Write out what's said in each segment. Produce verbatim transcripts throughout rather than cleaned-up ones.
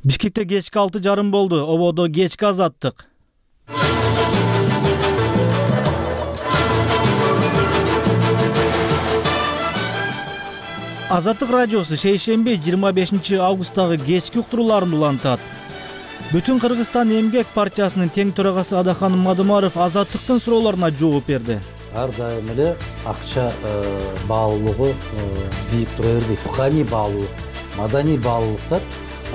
Бишкекте кечки алты жарым болду. Ободо кечки азаттык. Азаттык радиосу шейшемби жыйырма бешинчи августтагы кечки уктурууларын улантат. Бүтүн Кыргызстан эмгек партиясынын тең төрагасы Адахан Мадымаров азаттыктын суроолоруна жооп берди. Ар дайым эле акча баалуулугу бийик тура бербейт. Руханий баалуулук, маданий баалуулуктар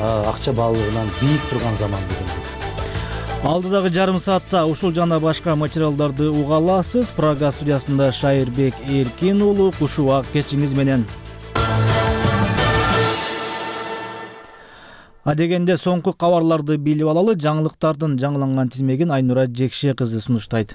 акча баалуулугунан бийик турган заман бүгүн. Алдыдагы жарым саатта ушул жана башка материалдарды уга аласыз. Прага студиясында Шайырбек Эркин уулу кушубак кечиңиз менен. Адегенде соңку кабарларды билип алалы. Жаңылыктардын жаңыланган тизмегин Айнура Жекше кызы сунуштайт.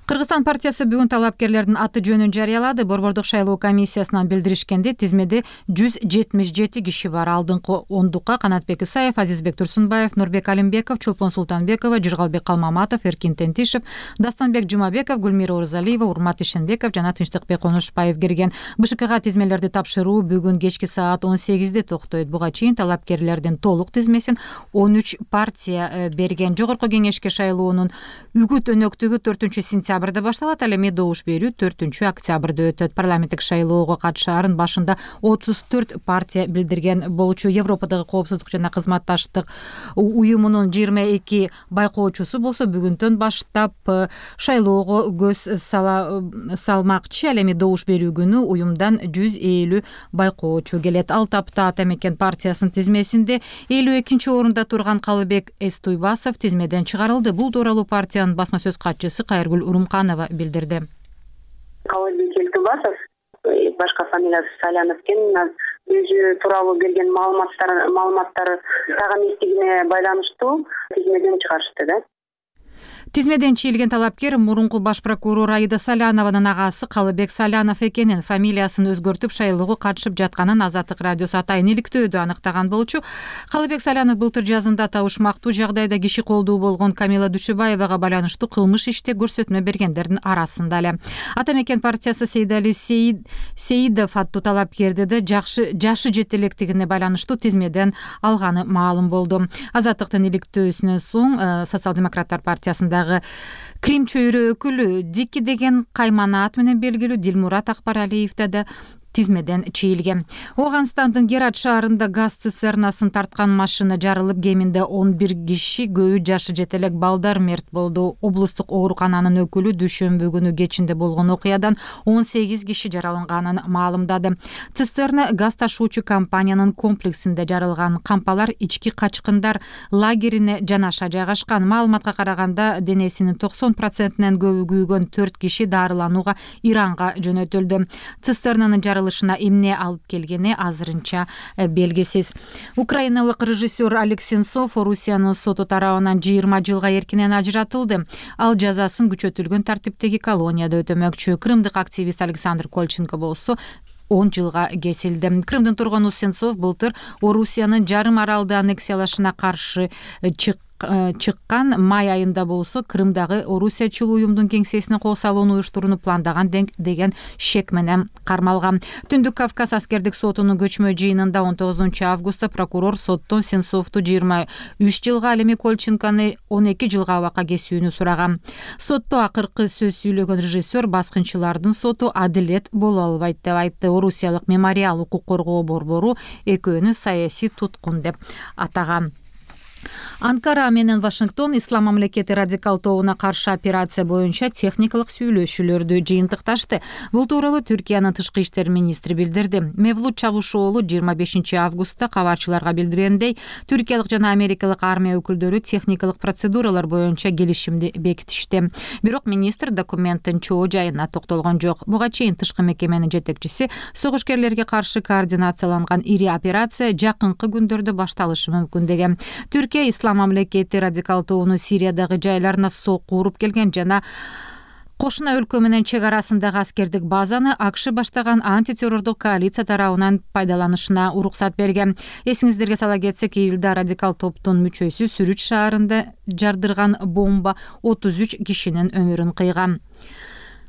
Кыргызстан партиясы бүгүн талапкерлердин аты жөнүн жарыялады. Борбордук шайлоо комиссиясынан билдиришкенде тизмеде жүз жетимиш жети киши бар. Алдыңкы ондукка Канатбек Исаев, Азизбек Турсунбаев, Нурбек Алимбеков, Чулпон Султанбекова, Жыргалбек Калмаматов, Эркин Тентишев, Дастанбек Жумабеков, Гүлмира Орузалиева, Урмат Ишенбеков жана Тынчтыкбек Конушбаев кирген. БШКга тизмелерди тапшыруу бүгүн кечки саат он сегизде токтойт. Буга чейин талапкерлердин толук тизмесин он үч партия берген. Жогорку кеңешке шайлоонун үгүт өнөктүгү төртүнчү сентябрда башталат. Ал эми добуш берүү төртүнчү октябрда өтөт. Парламенттик шайлоого катышаарын башында отуз төрт партия билдирген болчу. Европадагы коопсуздук жана кызматташтык уюмунун жыйырма эки байкоочусу болсо бүгүндөн баштап шайлоого көз салмакчы. Ал эми добуш берүү күнү уюмдан жүз элүү байкоочу келет. Ал тапта Ата Мекен партиясынын тизмесинде элүү экинчи орунда турган Калыбек Эстуйбасов тизмеден чыгарылды. Бул тууралуу партиянын басма сөз катчысы Кайыргүл Урумканова билдирди. Калыбек Эстуйбасов, башка фамилиясы Салянов экен, өзү тууралуу берген маалыматтар маалыматтары так эместигине байланыштуу тизмеден чыгарышты да. Тизмеден чийилген талапкер мурунку баш прокурор Аида Салянованын агасы Калыбек Салянов экенин, фамилиясын өзгөртүп шайлоого катышып жатканын Азаттык радиосу атайын иликтөөдө аныктаган болчу. Калыбек Салянов былтыр жазында табышмактуу жагдайда киши колдуу болгон Камила Дүйшөбаевага байланыштуу кылмыш иште көрсөтмө бергендердин арасында эле. Ата Мекен партиясы Сейдали Сейид Сейидов аттуу талапкерди да жакшы жашы жете электигине байланыштуу тизмеден алганы маалым болду. Азаттыктын иликтөөсүнөн соң Социал-демократтар партиясында Крим чөйрө өкүлү Дики деген кайманаат менен белгилүү Дилмурат Акбаралиев да тизмеден чийилген. Оганстандын Герат шаарында газ цистернасын тарткан машина жарылып, кеминде он бир киши, көбү жашы жетелек балдар мерт болду. Облустук оорукананын өкүлү дүйшөмбү күнү кечинде болгон окуядан он сегиз киши жараланганын маалымдады. Цистерна газ ташуучу компаниянын комплексинде жарылган. Кампалар ички качкындар лагерине жанаша жайгашкан. Маалыматка караганда денесинин токсон процентинен көбү күйгөн төрт киши дарыланууга Иранга жөнөтүлдү. Цистернанын жарылышына эмне алып келгени азырынча белгисиз. Украиналык режиссер Олег Сенцов Орусиянын соту тарабынан жыйырма жылга эркинен ажыратылды. Ал жазасын күчөтүлгөн тартиптеги колонияда өтөмөкчү. Крымдык активист Александр Кольченко болсо он жылга кесилди. Крымдын тургуну Сенцов былтыр Орусиянын жарым аралды аннексиялашына каршы чыкты. чыккан май айында болсо Крымдагы Орусиячыл уюмдун кеңсесине кол салууну уюштурууну пландаган деген шек менен кармалган. Түндүк Кавказ аскердик сотунун көчмө жыйынында он тогузунчу августта прокурор соттон Сенцовду жыйырма үч жылга, ал эми Кольченкону он эки жылга абакка кесүүнү сураган. Сотто акыркы сөз сүйлөгөн режиссер баскынчылардын соту адилет боло албайт деп айтты. Орусиялык Мемориал укук коргоо борбору экөөнү саясий туткун деп атаган. Анкара менен Вашингтон Ислам мамлекети радикал тобуна каршы операция боюнча техникалык сүйлөшүүлөрдү жыйынтыкташты. Бул тууралуу Түркиянын тышкы иштер министри билдирди. Мевлут Чавушоğlu жыйырма бешинчи августта кабарчыларга билдиргендей, түркиялык жана америкалык армия өкүлдөрү техникалык процедуралар боюнча келишимди бекитишти. Бирок министр документтин чоо жайына токтолгон жок. Буга чейин тышкы мекеменин жетекчиси согушкерлерге каршы координацияланган ири операция жакынкы күндөрдө башталышы мүмкүн деген. Түркия Ислам мамлекети радикал тобуну Сириядагы жайларына сокку уруп келген жана кошуна өлкө менен чек арасындагы аскердик базаны АКШ баштаган антитеррордук коалиция тарабынан пайдаланышына уруксат берген. Эсиңиздерге сала кетсек, июлда радикал топтун мүчөсү Сүрүч шаарында жардырган бомба отуз үч кишинин өмүрүн кыйган.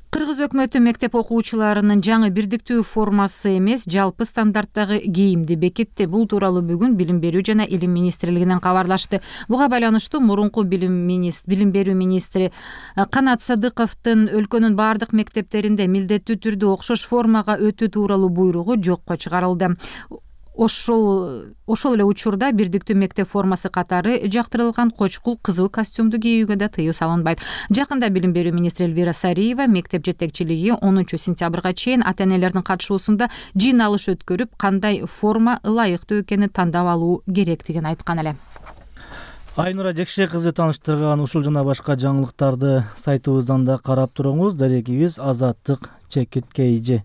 Кыргыз өкмөтү мектеп окуучуларынын жаңы бирдиктүү формасы эмес, жалпы стандарттагы кийимди бекитти. Бул тууралуу бүгүн Билим берүү жана Илим министрлигинен кабарлашты. Буга байланыштуу мурунку билим министр, билим берүү министри Канат Садыковдун өлкөнүн бардык мектептеринде милдеттүү түрдө окшош формага өтүү тууралуу буйругу жокко чыгарылды. Ошол ошол эле учурда бирдиктүү мектеп формасы катары жактырылган кочкул кызыл костюмду кийүүгө да тыюу салынбайт. Жакында Билим берүү министри Элвира Сариева мектеп жетекчилиги онунчу сентябрга чейин ата-энелердин катышуусунда жыйналыш өткөрүп, кандай форма ылайыктуу экенин тандап алуу керектигин айткан эле. Айнура Жекше кызы тааныштырган ушул жана башка жаңылыктарды сайтыбыздан да карап туруңуз. Дарегибиз Азаттык Чекит Кейжи.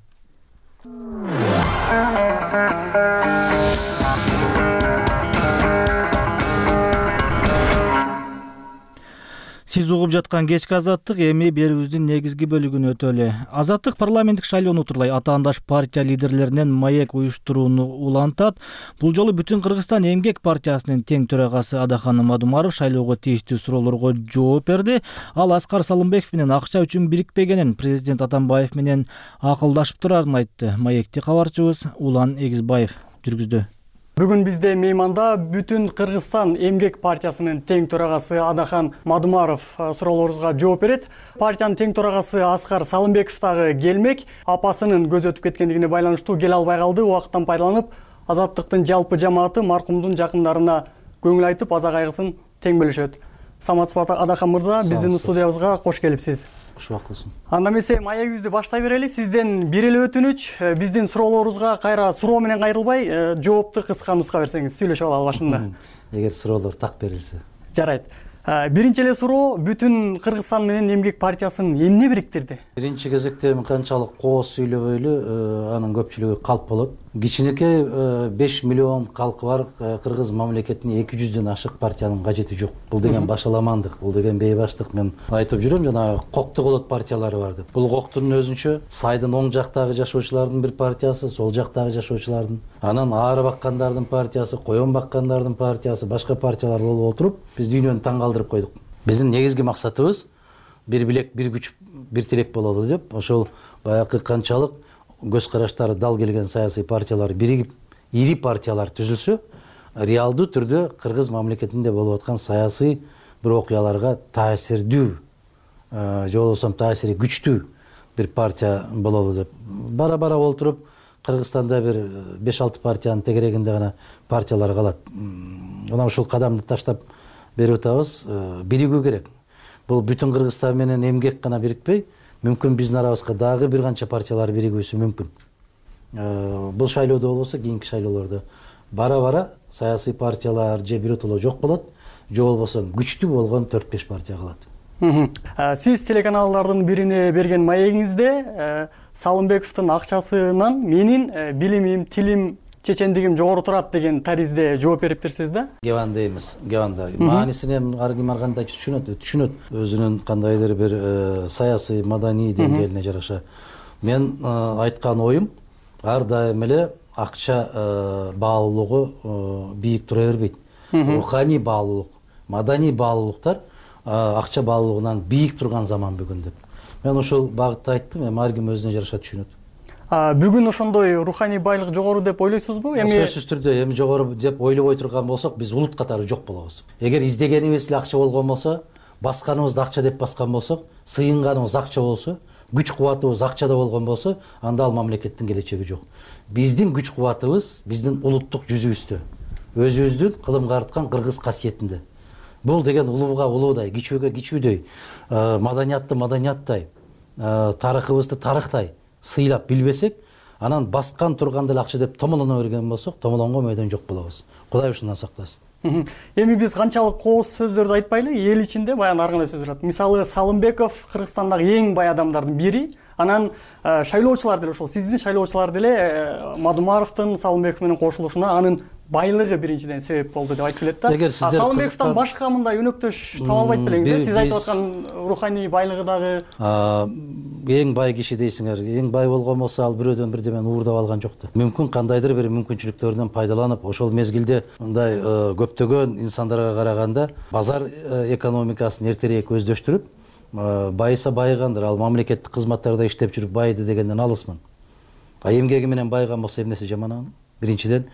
Сиз угуп жаткан кечки Азаттык эми берүүбүздүн негизги бөлүгүн өтөлү. Азаттык парламенттик шайлоону тууралай атаандаш партия лидерлеринен маек уюштурууну улантат. Бул жолу Бүтүн Кыргызстан эмгек партиясынын тең төрагасы Адахан Мадумаров шайлоого тийиштүү суроолорго жооп берди. Ал Аскар Салымбеков менен акча үчүн бирикпегенин, президент Атамбаев менен акылдашып турарын айтты. Маекти кабарчыбыз Улан Эгизбаев жүргүздү. Бүгүн бизде мейманда Бүтүн Кыргызстан эмгек партиясынын тең төрагасы Адахан Мадумаров суроолорубузга жооп берет. Партиянын тең төрагасы Аскар Салымбеков дагы келмек. Апасынын көз өтүп кеткендигине байланыштуу келе албай калды. Убакыттан пайдаланып, Азаттыктын жалпы жамааты маркумдун жакындарына көңүл айтып, аза кайгысын тең бөлүшөт. Саматсызбы Адахан мырза, биздин студиябызга кош келипсиз. Кош бактылсың. Анда эмесе маегибизди баштай берели. Сизден бир эле өтүнүч, биздин суроолорубузга кайра суроо менен кайрылбай, жоопту кыска нуска берсеңиз, сүйлөшүп алалы башында. Эгер суроолор так берилсе. Жарайт. Биринчи эле суроо, Бүтүн Кыргызстан менен эмгек партиясын эмне бириктирди? Биринчи кезекте канчалык кооз сүйлөбөйлү, анын көпчүлүгү калп болот. Кичинекей беш миллион калкы бар кыргыз мамлекетине эки жүздөн ашык партиянын кажети жок. Бул деген башаламандык, бул деген бейбаштык. Мен айтып жүрөм, жана кокту болот партиялары бар деп. Бул коктун өзүнчө сайдын оң жактагы жашоочулардын бир партиясы, сол жактагы жашоочулардын, анан ары баккандардын партиясы, коен баккандардын партиясы, башка партиялар болуп отуруп, биз дүйнөнү таң калтырып койдук. Биздин негизги максатыбыз бир билек, бир күч, бир тилек бололу деп, ошол баягы канчалык көз караштары дал келген саясий партиялар биригип, ири партиялар түзүлсө, реалдуу түрдө кыргыз мамлекетинде болуп аткан саясий бир окуяларга таасирдүү, же болбосо таасири күчтүү бир партия бололу деп. Бара-бара олтуруп, Кыргызстанда бир беш алты партиянын тегерегинде гана партиялар калат. Мына ушул кадамды таштап берип атабыз, биригүү керек. Бул Бүтүн Кыргызстан менен эмгек гана бирикпей, мүмкүн биздин арабызга дагы бир канча партиялар биригүүсү мүмкүн. Бул шайлоодо болбосо, кийинки шайлоолордо бара-бара саясий партиялар же биротоло жок болот, же болбосо күчтүү болгон төрт беш партия калат. Сиз телеканалдардын бирине берген маегиңизде Салымбековдун акчасынан менин билимим, тилим, чечендигим жогору турат деген таризде жооп бериптирсиз да? Геванда эмес, геванда. Маанисин ар ким ар кандай түшүнөт, түшүнөт. Өзүнүн кандайдыр бир саясий, маданий деңгээлине жараша. Мен айткан оюм ар дайым эле акча баалуулугу бийик тура бербейт. Руханий баалуулук, маданий баалуулуктар акча баалуулугунан бийик турган заман бүгүн деп. Мен ошол багытта айттым, эми ар ким өзүнө жараша түшүнөт. Бүгүн ошондой руханий байлык жогору деп ойлойсузбу? Эми сөзсүз түрдө эми жогору деп ойлобой турган болсок, биз улут катары жок болобуз. Эгер издегенибиз эле акча болгон болсо, басканыбызды акча деп баскан болсок, сыйынганыбыз акча болсо, күч кубатыбыз акчада болгон болсо, анда ал мамлекеттин келечеги жок. Биздин күч кубатыбыз биздин улуттук жүзүбүздө, өзүбүздүн кылымга арткан кыргыз касиетинде. Бул деген улууга улуудай, кичүүгө кичүүдөй, маданиятты маданияттай, тарыхыбызды тарыхтай сыйлап билбесек, анан баскан турганда эле акча деп томолоно берген болсок, томолонгон мөйдөн жок болобуз. Кудай ушундан сактасын. Эми биз канчалык кооз сөздөрдү айтпайлы, эл ичинде баягы ар кандай сөздөр бар. Мисалы, Салымбеков Кыргызстандагы эң бай адамдардын бири, анан шайлоочулар деле ошол, сиздин шайлоочулар деле Мадумаровдун Салымбеков менен кошулушуна анын байлыгы биринчиден себеп болду деп айтып келет да. Салымбековдон башка мындай өнөктөш таба албайт белеңиз? Сиз айтып аткан руханий байлыгы дагы эң бай киши дейсиңер. Эң бай болгон болсо, ал бирөөдөн бирдемени уурдап алган жок да. Мүмкүн кандайдыр бир мүмкүнчүлүктөрдөн пайдаланып, ошол мезгилде мындай көптөгөн инсандарга караганда базар экономикасын эртерээк өздөштүрүп, байыса байыгандыр, ал мамлекеттик кызматтарда иштеп жүрүп байыды дегенден алысмын. А эмгеги менен байыган болсо эмнеси жаман анын? Биринчиден,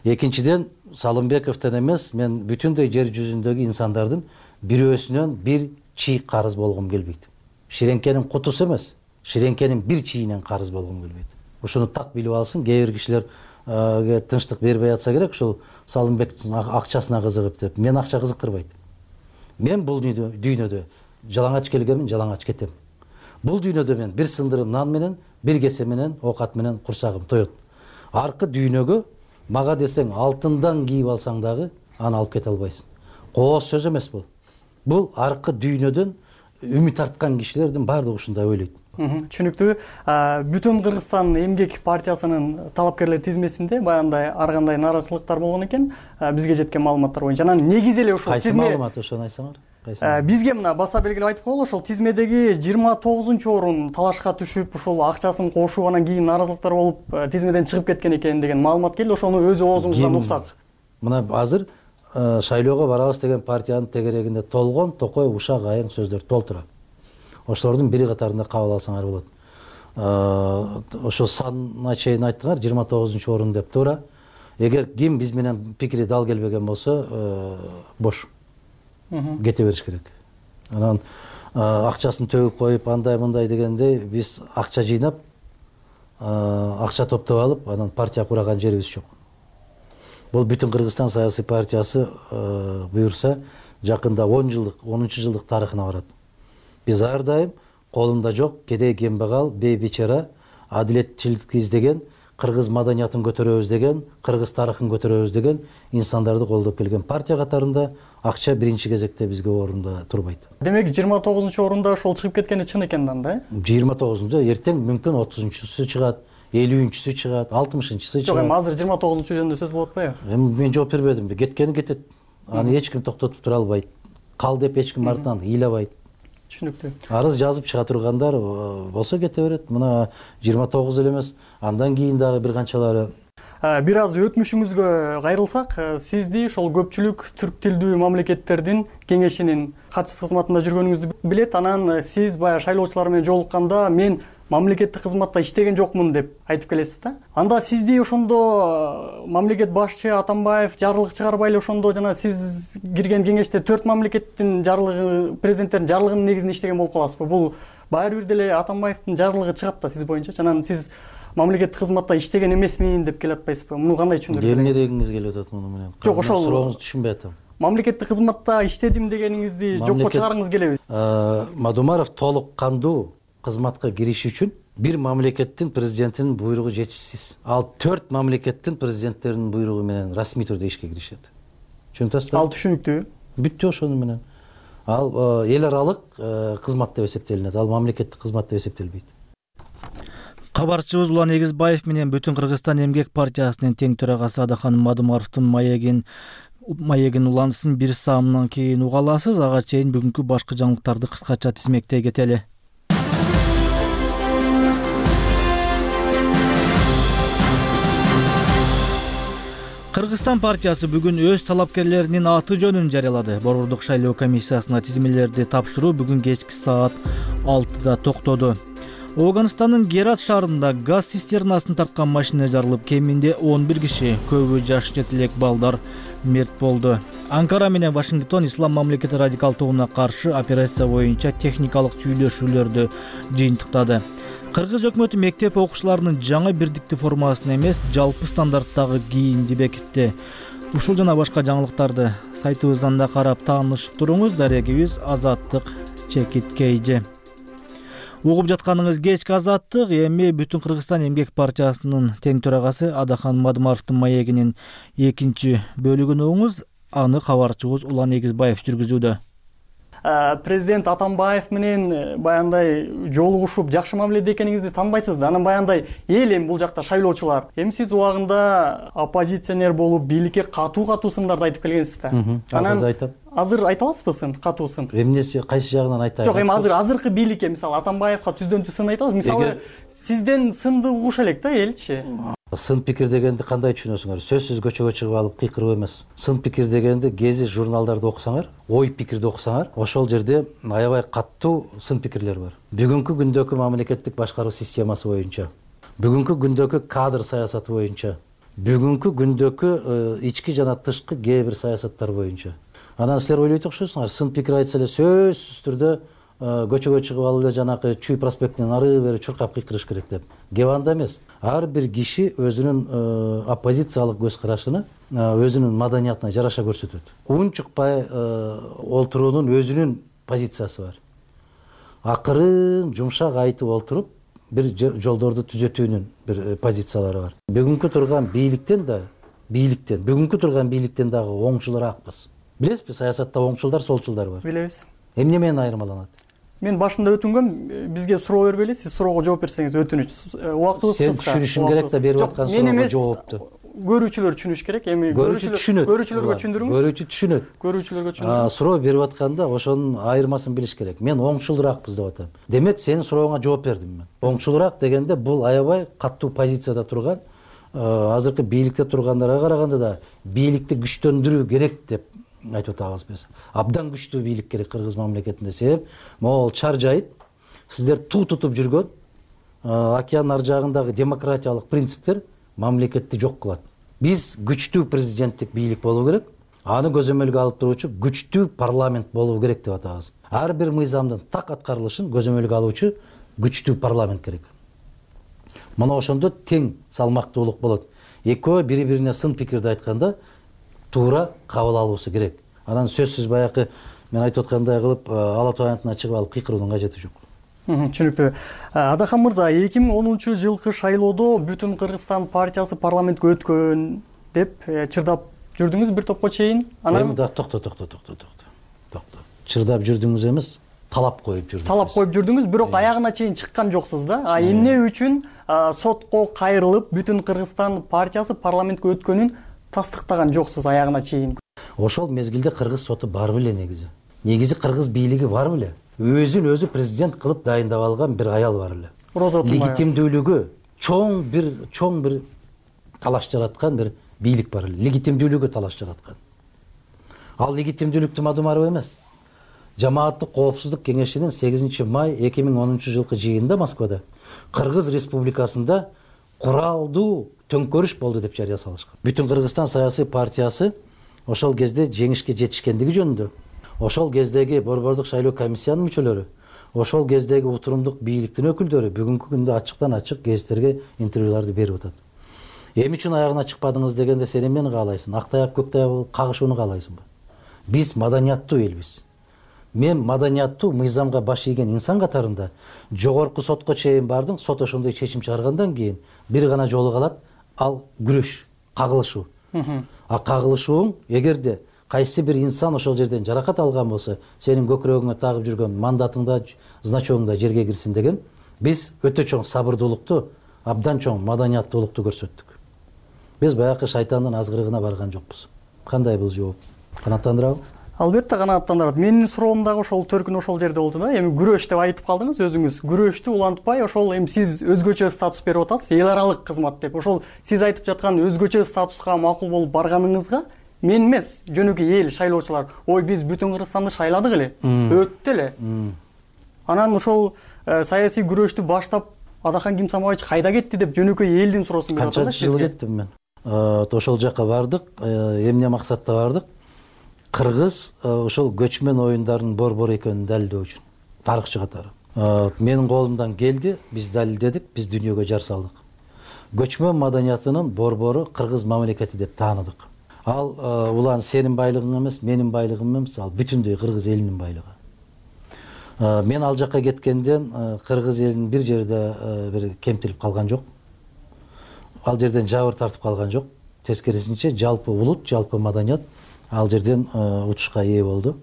экинчиден Салымбековдон эмес, мен бүтүндөй жер жүзүндөгү инсандардын бирөөсүнөн бир чий карыз болгум келбейт. Ширеңкенин кутусу эмес, ширеңкенин бир чийинен карыз болгум келбейт. Ушуну так билип алсын, кээ бир кишилерге тынчтык бербей атса керек, ушул Салымбектин акчасына кызыгып деп. Мен акча кызыктырбайт. Мен бул дүйнөдө жалаңач келгенмин, жалаңач кетем. Бул дүйнөдө мен бир сындырым нан менен, бир кесе менен, оокат менен курсагым тоет. Аркы дүйнөгө мага десең алтындан кийип алсаң дагы аны алып кете албайсың. Кооз сөз эмес бул. Бул аркы дүйнөдөн үмүт арткан кишилердин баардыгы ушундай ойлойт. Түшүнүктүү. Бүтүн Кыргызстан эмгек партиясынын талапкерлер тизмесинде баягындай ар кандай нааразычылыктар болгон экен. Бизге жеткен маалыматтар боюнча. Анан негизи эле ушул тизме. Кайсы маалымат ошону айтсаңар? Бизге мына баса белгилеп айтып коелу, ошол тизмедеги жыйырма тогузунчу орун талашка түшүп, ушул акчасын кошуп, анан кийин нааразылыктар болуп, тизмеден чыгып кеткен экен деген маалымат келди. Ошону өз оозуңуздан уксак. Мына азыр шайлоого барабыз деген партиянын тегерегинде толгон, токой, ушак, айың сөздөр толтура. Ошолордун бири катарында кабыл алсаңар болот. Ошо санына чейин айттыңар, жыйырма тогузунчу орун деп туура. Эгер ким биз менен пикири дал келбеген болсо, бош. Кете бериш керек. Анан акчасын төгүп коюп, андай мындай дегенде биз акча жыйнап, акча топтоп алып, анан партия кураган жерибиз жок. Бул бүтүн Кыргызстан саясий партиясы буюрса, жакында он жылдык, онунчу жылдык тарыхына барат. Биз ар дайым колунда жок, кедей кембагал, бейбичара, адилетчиликти издеген, кыргыз маданиятын көтөрөбүз деген, кыргыз тарыхын көтөрөбүз деген инсандарды колдоп келген партия катарында акча биринчи кезекте бизге орунда турбайт. Демек жыйырма тогузунчу орунда ошол чыгып кеткени чын экен да? жыйырма тогузунчу эртең мүмкүн отузунчусу чыгат, элүүнчүсү чыгат, алтымышынчысы чыгат. Жок, эми азыр жыйырма тогузунчу жөнүндө сөз болуп атпайбы? Эми мен жооп бербедимби? Кеткени кетет. Аны эч ким токтотуп тура албайт. Кал деп эч ким артынан ыйлабайт. Түшүнүктүү. Арыз жазып чыга тургандар болсо кете берет. Мына жыйырма тогуз эле эмес, андан кийин дагы бир канчалары. Бир аз өтмүшүңүзгө кайрылсак, сизди ошол көпчүлүк түрк тилдүү мамлекеттердин кеңешинин катчысы кызматында жүргөнүңүздү билет. Анан сиз баягы шайлоочулар менен жолукканда мен мамлекеттик кызматта иштеген жокмун деп айтып келесиз да. Анда сизди ошондо мамлекет башчы Атамбаев жарлык чыгарбай эле ошондо жана сиз кирген кеңеште төрт мамлекеттин жарлыгы, президенттердин жарлыгынын негизинде иштеген болуп каласызбы? Бул баары бир деле Атамбаевдин жарлыгы чыгат да сиз боюнча. Анан сиз мамлекеттик кызматта иштеген эмесмин деп келе атпайсызбы? Муну кандай түшүндүрөсүз? Эмне дегиңиз келип атат муну менен? Жок, ошол сурооңузду түшүнбөй атам. Мамлекеттик кызматта иштедим дегениңизди жокко чыгарыңыз келеби? Мадумаров толук кандуу кызматка кириш үчүн бир мамлекеттин президентинин буйругу жетишсиз. Ал төрт мамлекеттин президенттеринин буйругу менен расмий түрдө ишке киришет. Түшүнүп атасызбы? Ал түшүнүктүү. Бүттү ошону менен. Ал эл аралык кызмат деп эсептелинет. Ал мамлекеттик кызмат деп эсептелбейт. Кабарчыбыз Улан Эгизбаев менен Бүтүн Кыргызстан эмгек партиясынын тең төрагасы Адахан Мадумаровдун маегин маегин уланысын бир саамдан кийин уга аласыз. Ага чейин бүгүнкү башкы жаңылыктарды кыскача тизмектей кетели. Кыргызстан партиясы бүгүн өз талапкерлеринин аты жөнүн жарыялады. Борбордук шайлоо комиссиясына тизмелерди тапшыруу бүгүн кечки саат алтыда токтоду. Ооганстандын Герат шаарында газ цистернасын тарткан машина жарылып, кеминде он бир киши, көбү жаш жетилек балдар мерт болду. Анкара менен Вашингтон Ислам мамлекети радикал тобуна каршы операция боюнча техникалык сүйлөшүүлөрдү жыйынтыктады. Кыргыз өкмөтү мектеп окуучуларынын жаңы бирдиктүү формасын эмес, жалпы стандарттагы кийимди бекитти. Ушул жана башка жаңылыктарды сайтыбыздан да карап таанышып туруңуз. Дарегибиз Азаттык Чекиткейжи. Угуп жатканыңыз кечки Азаттык. Эми Бүтүн Кыргызстан эмгек партиясынын тең төрагасы Адахан Мадумаровдун маегинин экинчи бөлүгүн угуңуз. Аны кабарчыбыз Улан Эгизбаев жүргүзүүдө. Президент Атамбаев менен баягындай жолугушуп жакшы мамиледе экениңизди таанбайсыз да. Анан баягындай эл эми бул жакта шайлоочулар. Эми сиз убагында оппозиционер болуп, бийликке катуу-катуу сындарды айтып келгенсиз да. Анан айтам. Азыр айта аласызбы сын, катуу сын? Эмнеси, кайсы жагынан айтайын? Жок, эми азыр азыркы бийликке, мисалы Атамбаевга түздөн түз сын айта аласыз. Мисалы сизден сынды угуш элек да элчи. Сын пикир дегенди кандай түшүнөсүңөр? Сөзсүз көчөгө чыгып алып кыйкырып эмес. Сын пикир дегенди гезит журналдарды окусаңар, ой пикирди окусаңар, ошол жерде аябай каттуу сын пикирлер бар. Бүгүнкү күндөгү мамлекеттик башкаруу системасы боюнча, бүгүнкү күндөгү кадр саясаты боюнча, бүгүнкү күндөгү ички жана тышкы кээ бир саясаттар боюнча. Анан силер ойлойт окшойсуңар, сын пикир айтса эле сөзсүз түрдө көчөгө чыгып алып эле жанакы Чүй проспектинен ары бери чуркап кыйкырыш керек деп. Кеп анда эмес. Ар бир киши өзүнүн оппозициялык көз карашыны өзүнүн маданиятына жараша көрсөтөт. Унчукпай олтуруунун өзүнүн позициясы бар. Акырын жумшак айтып олтуруп бир жолдорду түзөтүүнүн бир позициялары бар. Бүгүнкү турган бийликтен да, бийликтен, бүгүнкү турган бийликтен дагы оңчулураакпыз. Билесизби, саясатта оңчулдар, солчулдар бар. Билебиз. Эмне менен айырмаланат? Мен башында өтүнгөм, бизге суроо бербейли, сиз суроого жооп берсеңиз өтүнүч. Убактыбыз кыска. Сен түшүнүшүң керек да берип аткан суроого жоопту. Көрүүчүлөр түшүнүш керек. Эми көрүүчүлөр көрүүчүлөргө түшүндүрүңүз. Көрүүчү түшүнөт. Көрүүчүлөргө түшүндүрүңүз. Суроо берип атканда ошонун айырмасын билиш керек. Мен оңчулураакпыз деп атам. Демек сенин сурооңа жооп бердим мен. Оңчулураак дегенде бул аябай каттуу позицияда турган, азыркы бийликте тургандарга караганда да бийликти күчтөндүрүү керек деп айтып атабыз биз. Абдан күчтүү бийлик керек Кыргыз мамлекетинде. Себеп могул чар жайыт сиздер туу тутуп жүргөн океан ар жагындагы демократиялык принциптер мамлекетти жок кылат. Биз күчтүү президенттик бийлик болуу керек, аны көзөмөлгө алып туруучу күчтүү парламент болуу керек деп атабыз. Ар бир мыйзамдын так аткарылышын көзөмөлгө алуучу күчтүү парламент керек. Мына ошондо тең салмактуулук болот. Экөө бири-бирине сын пикирди айтканда туура кабыл алуусу керек. Анан сөзсүз баягы мен айтып аткандай кылып ала тоянтына чыгып алып кыйкыруунун кажети жок. Түшүнүктүү. Адахан мырза, эки миң онунчу жылкы шайлоодо Бүтүн Кыргызстан партиясы парламентке өткөн деп чырдап жүрдүңүз бир топко чейин. Анан да токто токто токто токто. Токто. Чырдап жүрдүңүз эмес, талап коюп жүрдүңүз. Талап коюп жүрдүңүз, бирок аягына чейин чыккан жоксуз да. А эмне үчүн сотко кайрылып Бүтүн Кыргызстан партиясы парламентке өткөнүн тастыктаган жоксуз аягына чейин? Ошол мезгилде кыргыз соту бар беле негизи. Негизи кыргыз бийлиги бар беле. Өзүн өзү президент кылып дайындап алган бир аял бар эле. Легитимдүүлүгү чоң бир чоң бир талаш жараткан бир бийлик бар эле. Легитимдүүлүгү талаш жараткан. Ал легитимдүүлүктү Мадумаров эмес. Жамааттык коопсуздук кеңешинин сегизинчи май эки миң онунчу жылкы жыйынында Москвада Кыргыз Республикасында куралдуу төңкөрүш болду деп жарыя салышкан. Бүтүн Кыргызстан саясий партиясы ошол кезде жеңишке жетишкендиги жөнүндө, ошол кездеги борбордук шайлоо комиссиянын мүчөлөрү, ошол кездеги утурумдук бийликтин өкүлдөрү бүгүнкү күндө ачыктан ачык гезиттерге интервьюларды берип атат. Эми үчүн аягына чыкпадыңыз дегенде сен эмнени каалайсың? Ак таяк көк таяк болуп кагышууну каалайсыңбы? Биз маданияттуу элбиз. Мен маданияттуу мыйзамга баш ийген инсан катарында жогорку сотко чейин бардым. Сот ошондой чечим чыгаргандан кийин бир гана жолу калат, ал күрөш, кагылышуу. А кагылышууң эгерде кайсы бир инсан ошол жерден жаракат алган болсо, сенин көкүрөгүңө тагып жүргөн мандатыңда, значогуңда жерге кирсин деген, биз өтө чоң сабырдуулукту, абдан чоң маданияттуулукту көрсөттүк. Биз баягы шайтандын азгырыгына барган жокпуз. Кандай бул жооп? Канааттандырабы? Албетте канааттандырат. Менин суроом дагы ошол төркүн ошол жерде болчу да. Эми күрөш деп айтып калдыңыз өзүңүз. Күрөштү улантпай, ошол эми сиз өзгөчө статус берип атасыз, эл аралык кызмат деп. Ошол сиз айтып жаткан өзгөчө статуска макул болуп барганыңызга мен эмес, жөнөкөй эл шайлоочулар, ой биз Бүтүн Кыргызстанды шайладык эле, өттү эле. Анан ошол саясий күрөштү баштап Адахан Кимсамович кайда кетти деп жөнөкөй элдин суроосун берип атат да. Канча жыл кеттим мен. Ошол жака бардык, эмне максатта бардык? Кыргыз ошол көчмөн оюндарынын борбору экенин далилдөө үчүн, тарыхчы катары. Менин колумдан келди, биз далилдедик, биз дүйнөгө жар салдык. Көчмөн маданиятынын борбору Кыргыз мамлекети деп тааныдык. Ал улан сенин байлыгың эмес, менин байлыгым эмес, ал бүтүндөй кыргыз элинин байлыгы. Мен ал жака кеткенден кыргыз элинин бир жерде бир кемтилип калган жок. Ал жерден жабыр тартып калган жок. Тескерисинче жалпы улут, жалпы маданият ал жерден утушка ээ болду.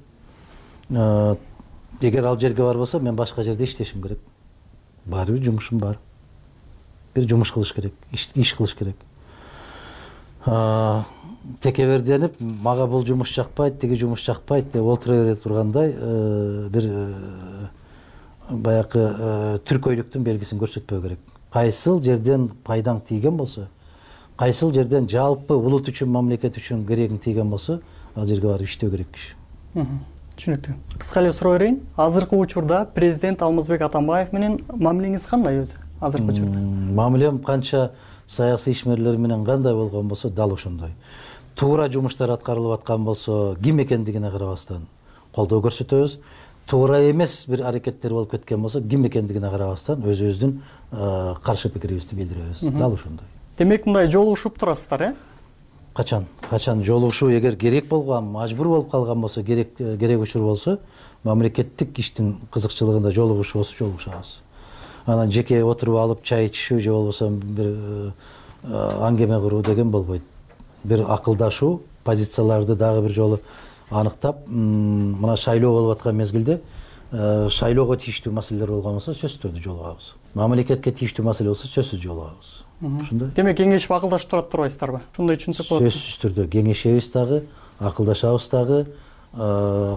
Эгер ал жерге барбаса, мен башка жерде иштешим керек. Баары бир жумушум бар. Бир жумуш кылыш керек, иш кылыш керек. Текеберденип, мага бул жумуш жакпайт, тиги жумуш жакпайт деп олтура бере тургандай бир баягы түркөйлүктүн белгисин көрсөтпөө керек. Кайсыл жерден пайдаң тийген болсо, кайсыл жерден жалпы улут үчүн, мамлекет үчүн керегин тийген болсо, ал жерге барып иштөө керек киши. Түшүнүктүү. Кыска эле суроо берейин. Азыркы учурда президент Алмазбек Атамбаев менен мамилеңиз кандай өзү? Азыркы учурда. Мамилем канча саясий ишмерлер менен кандай болгон болсо, дал ошондой. Туура жумуштар аткарылып аткан болсо, ким экендигине карабастан колдоо көрсөтөбүз. Туура эмес бир аракеттер болуп кеткен болсо, ким экендигине карабастан өзүбүздүн каршы пикирибизди билдиребиз. Дал ошондой. Демек, мындай жолугушуп турасыздар, э? Качан? Качан жолугушуу эгер керек болгон, мажбур болуп калган болсо, керек керек учур болсо, мамлекеттик иштин кызыкчылыгында жолугушуу болсо жолугушабыз. Анан жеке отуруп алып чай ичишүү же болбосо бир аңгеме куруу деген болбойт. Бир акылдашуу, позицияларды дагы бир жолу аныктап, мына шайлоо болуп аткан мезгилде шайлоого тийиштүү маселелер болгон болсо, сөзсүз түрдө жолугабыз. Мамлекетке тийиштүү маселе болсо, сөзсүз жолугабыз. Ушундай. Демек, кеңешип акылдашып турат турбайсыздарбы? Ушундай түшүнсөк болот. Сөзсүз түрдө кеңешебиз дагы, акылдашабыз дагы,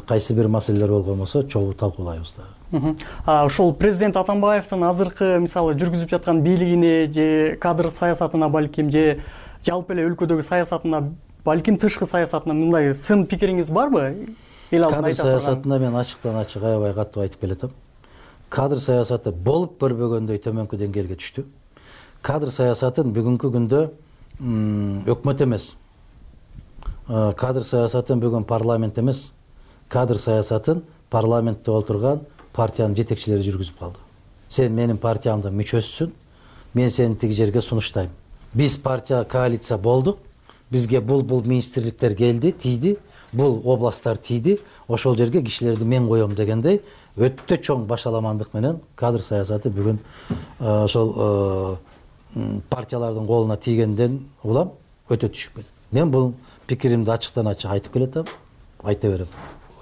кайсы бир маселелер болгон болсо, чогуу талкуулайбыз дагы. Ошол президент Атамбаевдин азыркы мисалы жүргүзүп жаткан бийлигине же кадр саясатына балким же жалпы эле өлкөдөгү саясатына, балким тышкы саясатына мындай сын пикириңиз барбы? Кадр саясатына мен ачыктан ачык аябай катуу айтып келатам. Кадр саясаты болуп көрбөгөндөй төмөнкү деңгээлге түштү. Кадр саясатын бүгүнкү күндө өкмөт эмес, кадр саясатын бүгүн парламент эмес, кадр саясатын парламентте отурган партиянын жетекчилери жүргүзүп калды. Сен менин партиямдын мүчөсүсүн, мен сени тиги жерге сунуштайм. Биз партия коалиция болдук, бизге бул бул министрликтер келди, тийди, бул областтар тийди, ошол жерге кишилерди мен коем дегендей өтө чоң башаламандык менен кадр саясаты бүгүн ошол партиялардын колуна тийгенден улам өтө түшүп кетти. Мен бул пикиримди ачыктан ачык айтып келатам, айта берем.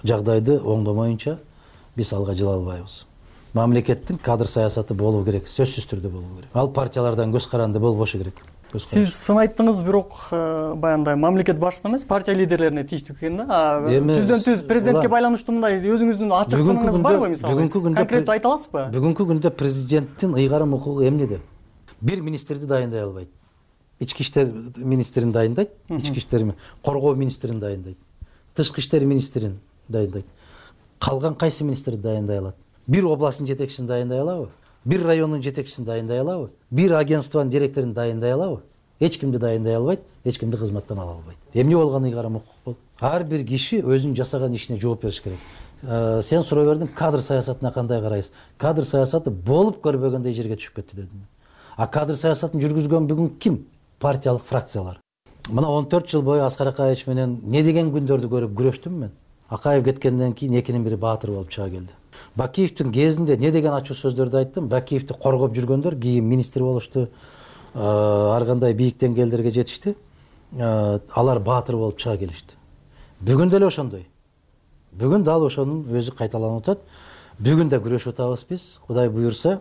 Жагдайды оңдомоюнча биз алга жыла албайбыз. Мамлекеттин кадр саясаты болуу керек, сөзсүз түрдө болуу керек. Ал партиялардан көз каранды болбошу керек. Сиз сын айттыңыз, бирок баягындай мамлекет башчысына эмес, партия лидерлерине тийиштүү экен да. Түздөн түз президентке байланыштуу мындай өзүңүздүн ачык сыныңыз барбы мисалы? Конкреттүү айта аласызбы? Бүгүнкү күндө президенттин ыйгарым укугу эмнеде? Бир министрди дайындай албайт. Ички иштер министрин дайындайт, ички иштер коргоо министрин дайындайт, тышкы иштер министрин дайындайт. Калган кайсы министр дайындай алат? Бир областтын жетекчисин дайындай алабы? Бир райондун жетекчисин дайындай алабы? Бир агентствонун директорун дайындай алабы? Эч кимди дайындай албайт, эч кимди кызматтан ала албайт. Эмне болгон ыйгарым укук бул? Ар бир киши өзүнүн жасаган ишине жооп бериш керек. Сен суроо бердиң, кадр саясатына кандай карайсыз? Кадр саясаты болуп көрбөгөндөй жерге түшүп кетти дедим. А кадр саясатын жүргүзгөн бүгүн ким? Партиялык фракциялар. Мына он төрт жыл бою Аскар Акаевич менен не деген күндөрдү көрүп күрөштүм мен. Акаев кеткенден кийин экинин бири баатыр болуп чыга келди. Бакиевдин кезинде не деген ачуу сөздөрдү айттым? Бакиевди коргоп жүргөндөр кийин министр болушту, ар кандай бийик деңгээлдерге жетишти. Алар баатыр болуп чыга келишти. Бүгүн деле ошондой. Бүгүн дал ошонун өзү кайталанып атат. Бүгүн да күрөшүп атабыз биз. Кудай буюрса,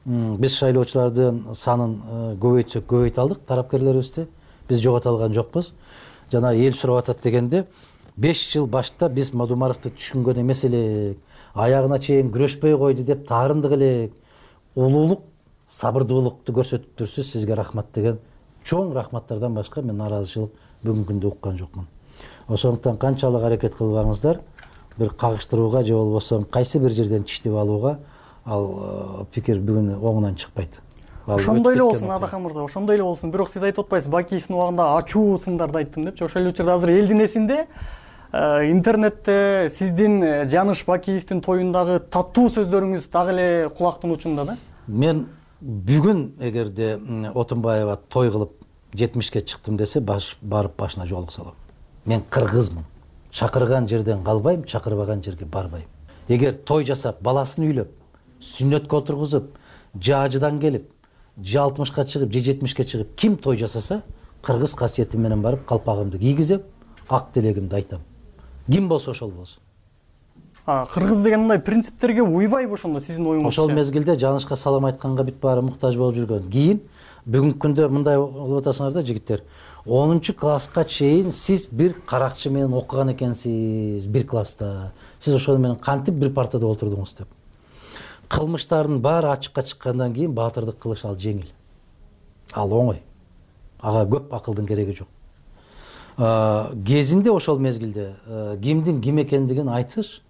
биз шайлоочулардын санын көбөйтсөк көбөйтө алдык тарапкерлерибизди. Биз жогото алган жокпуз. Жана эл сурап атат дегенде беш жыл башта биз Мадумаровду түшүнгөн эмес элек, аягына чейин күрөшпөй койду деп таарындык элек. Улуулук, сабырдуулукту көрсөтүп турсуз, сизге рахмат деген чоң рахматтардан башка мен нааразычылык бүгүнкү күндө уккан жокмун. Ошондуктан канчалык аракет кылбаңыздар, бир кагыштырууга же болбосо кайсы бир жерден тиштеп алууга ал пикир бүгүн оңунан чыкпайт. Ошондой эле болсун, Адахан мырза, ошондой эле болсун. Бирок сиз айтып атпайсыз, Бакиевдин убагында ачуу сындарды айттым депчи. Ошол эле учурда азыр элдин эсинде интернетте сиздин Жаныш Бакиевдин тоюндагы таттуу сөздөрүңүз дагы эле кулактын учунда да. Мен бүгүн эгерде Отунбаева той кылып жетимишке чыктым десе, барып башына жоолук салам. Мен кыргызмын. Чакырган жерден калбайм, чакырбаган жерге барбайм. Эгер той жасап, баласын үйлөп, сүннөткө отургузуп, же ажыдан келип, же алтымышка чыгып, же жетимишке чыгып, ким той жасаса, кыргыз касиети менен барып калпагымды кийгизип, ак тилегимди айтам. Ким болсо ошол болсун. Кыргыз деген мындай принциптерге уйбайбы ошондо сиздин оюңузча? Ошол мезгилде Жанышка салам айтканга бүт баары муктаж болуп жүргөн. Кийин бүгүнкү күндө мындай болуп атасыңар да, жигиттер. онунчу класска чейин сиз бир каракчы менен окуган экенсиз, бир класста. Сиз ошол менен кантип бир партада отурдуңуз деп. Кылмыштардын баары ачыкка чыккандан кийин баатырдык кылыш ал жеңил. Ал оңой. ага көп акылдын кереги жок. Кезинде ошол мезгилде кимдин ким экендигин айтсыш.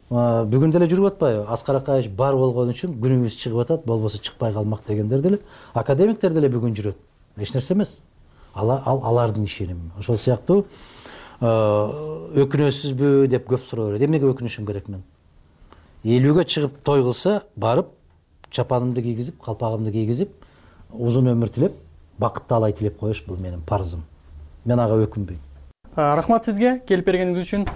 Бүгүн деле жүрүп атпайбы? Аскар Акаевич бар болгон үчүн күнүбүз чыгып атат, болбосо чыкпай калмак дегендер деле, академиктер деле бүгүн жүрөт. Эч нерсе эмес. Ал алардын ишеними. Ошол сыяктуу өкүнөсүзбү деп көп суроо берет. Эмнеге өкүнүшүм керек мен? элүүгө чыгып той кылса, барып чапанымды кийгизип, калпагымды кийгизип, узун өмүр тилеп, бакытты алай тилеп коюш бул менин парзым. Мен ага өкүнбөйм. Рахмат сизге келип бергениңиз үчүн.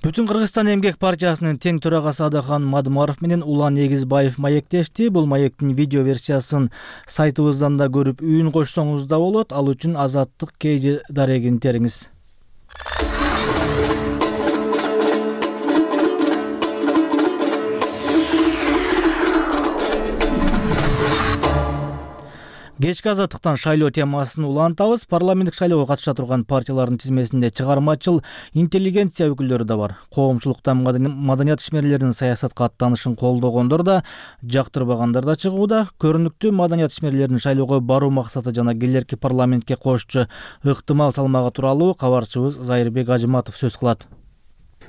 Бүтүн Кыргызстан эмгек партиясынын тең төрагасы Адахан Мадымаров менен Улан Эгизбаев маектешти. Бул маектин видео версиясын сайтыбыздан да көрүп үн кошсоңуз да болот. Ал үчүн Азаттык кей дарегин териңиз. Кечки Азаттыктан шайлоо темасын улантабыз. Парламенттик шайлоого катыша турган партиялардын тизмесинде чыгармачыл интеллигенция өкүлдөрү да бар. Коомчулуктан маданият ишмерлеринин саясатка аттанышын колдогондор да, жактырбагандар да чыгууда. Көрүнүктүү маданият ишмерлеринин шайлоого баруу максаты жана келерки парламентке кошчу ыктымал салмагы тууралуу кабарчыбыз Зайырбек Ажыматов сөз кылат.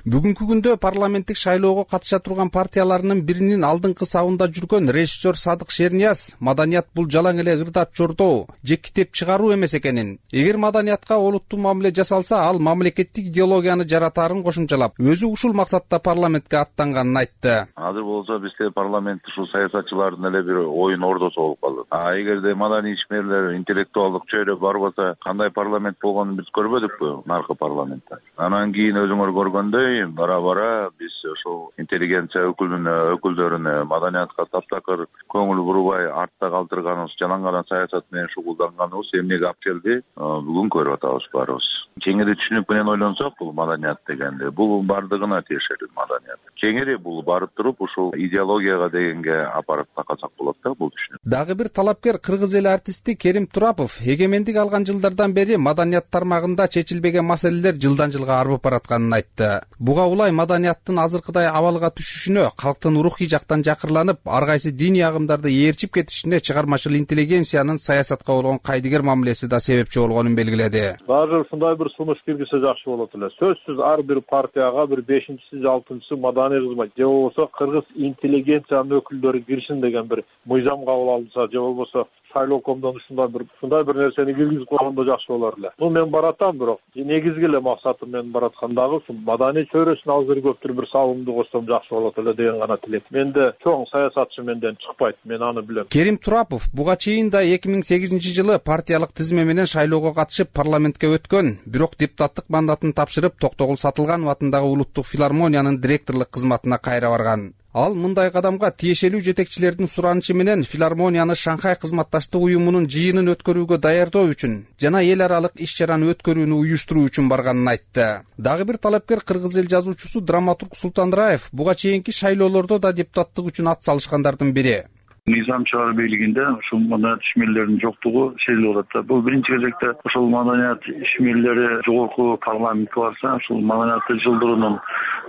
Бүгүнкү күндө парламенттик шайлоого катыша турган партияларынын биринин алдыңкы сабында жүргөн режиссер Садык Шернияз маданият бул жалаң эле ырдап чордоо же китеп чыгаруу эмес экенин, эгер маданиятка олуттуу мамиле жасалса, ал мамлекеттик идеологияны жаратаарын кошумчалап, өзү ушул максатта парламентке аттанганын айтты. Азыр болсо бизде парламент ушул саясатчылардын эле бир оюн ордосу болуп калды. А эгерде маданий ишмерлер, интеллектуалдык чөйрө барбаса, кандай парламент болгонун биз көрбөдүкпү наркы парламентте. Анан кийин өзүңөр көргөндөй бара-бара биз ошол интеллигенция өкүлүнө, өкүлдөрүнө маданиятка таптакыр көңүл бурбай артта калтырганыбыз, жалаң саясат менен шугулданганыбыз эмнеге алып келди? Бүгүн көрүп атабыз баарыбыз. Кеңири түшүнүп менен ойлонсок, бул маданият дегенде, бул бардыгына тиешелүү маданият. Кеңири бул барып туруп ушул идеологияга дегенге апарып такасак болот да, бул түшүнүк. Дагы бир талапкер кыргыз эл артисти Керим Турапов эгемендик алган жылдардан бери маданият тармагында чечилбеген маселелер жылдан жылга арбып баратканын айтты. Буга улай маданияттын азыркыдай абалга түшүшүнө, калктын рухий жактан жакырланып, ар кайсы диний агымдарды ээрчип кетишине чыгармачыл интеллигенциянын саясатка болгон кайдыгер мамилеси да себепчи болгонун белгиледи. Баары ушундай бир сунуш киргизсе жакшы болот эле. Сөзсүз ар бир партияга бир бешинчиси же алтынчысы маданий кызмат же болбосо кыргыз интеллигенциянын өкүлдөрү киришин деген бир мыйзам кабыл алынса, же болбосо шайлоокомдон ушундай бир ушундай бир нерсени киргизип койгондо жакшы болор эле. Бул мен баратам, бирок негизги эле максатым мен бараткандагы ушул маданий чөйрөсүнө азыр көптүр бир салымды кошсом жакшы болот эле деген гана тилек. Менде чоң саясатчы менден чыкпайт, мен аны билем. Керим Турапов буга чейин да эки миң сегизинчи жылы партиялык тизме менен шайлоого катышып парламентке өткөн, бирок депутаттык мандатын тапшырып Токтогул Сатылганов атындагы улуттук филармониянын директорлук кызматына кайра барган. Ал мындай кадамга тиешелүү жетекчилердин суранычы менен филармонияны Шанхай кызматташтык уюмунун жыйынын өткөрүүгө даярдоо үчүн жана эл аралык иш-чараны өткөрүүнү уюштуруу үчүн барганын айтты. Дагы бир талапкер кыргыз эл жазуучусу драматург Султан Раев буга чейинки шайлоолордо да депутаттык үчүн ат салышкандардын бири. Мыйзам чыгарып бийлигинде ушул маданият ишмерлеринин жоктугу сезилип атат. Бул биринчи кезекте ошол маданият ишмерлери жогорку парламентке барса, ушул маданиятты жылдыруунун,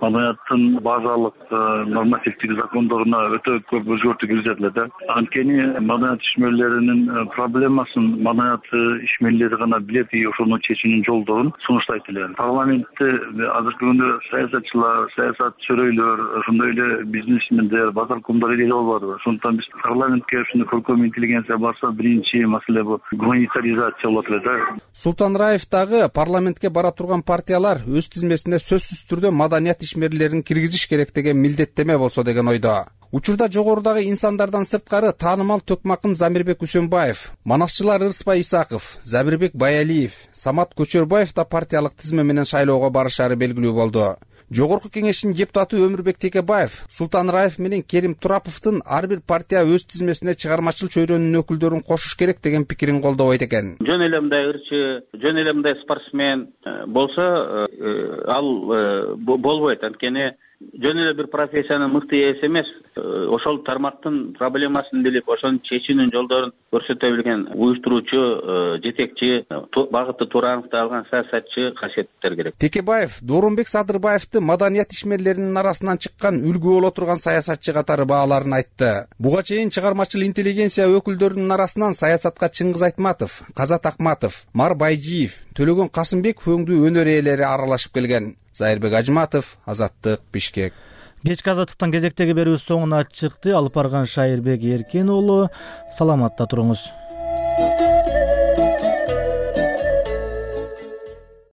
маданияттын базалык нормативдик закондоруна өтө көп өзгөртүү киргизет эле да. Анткени маданият ишмерлеринин проблемасын маданият ишмерлери гана билет и ошону чечүүнүн жолдорун сунуштайт эле. Парламентте азыркы күндө саясатчылар, саясат чөрөйлөр, ошондой эле бизнесмендер, базаркомдор эле болбоду. Ошондуктан биз парламентке ушундай көркөм интеллигенция барса, биринчи маселе бул гуманитаризация болот эле да. Султан Раев дагы парламентке бара турган партиялар өз тизмесине сөзсүз түрдө маданият ишмерлерин киргизиш керек деген милдеттеме болсо деген ойдо. Учурда жогорудагы инсандардан сырткары таанымал Төкмакын Замирбек Үсөнбаев, манасчылар Ырысбай Исаков, Забирбек Баялиев, Самат Көчөрбаев да партиялык тизме менен шайлоого барышары белгилүү болду. Жогорку кеңештин депутаты Өмүрбек Текебаев Султан Раев менен Керим Тураповдун ар бир партия өз тизмесине чыгармачыл чөйрөнүн өкүлдөрүн кошуш керек деген пикирин колдобойт экен. Жөн эле мындай ырчы, жөн эле мындай спортсмен болсо, ал болбойт. Анткени жөн эле бир профессиянын мыкты ээси эмес, ошол тармактын проблемасын билип, ошонун чечүүнүн жолдорун көрсөтө билген уюштуруучу, жетекчи, багыты туура аныкталган саясатчы касиеттер керек. Текебаев Доорунбек Садырбаевди маданият ишмерлеринин арасынан чыккан үлгү боло турган саясатчы катары бааларын айтты. Буга чейин чыгармачыл интеллигенция өкүлдөрүнүн арасынан саясатка Чыңгыз Айтматов, Казат Акматов, Мар Байжиев, Төлөгөн Касымбек өңдүү өнөр ээлери аралашып келген. Зайырбек Ажматов, Азаттык, Бишкек. Кечки азаттыктан кезектеги берүүбүз соңуна чыкты. Алып барган Шайырбек Эркен уулу. Саламатта туруңуз.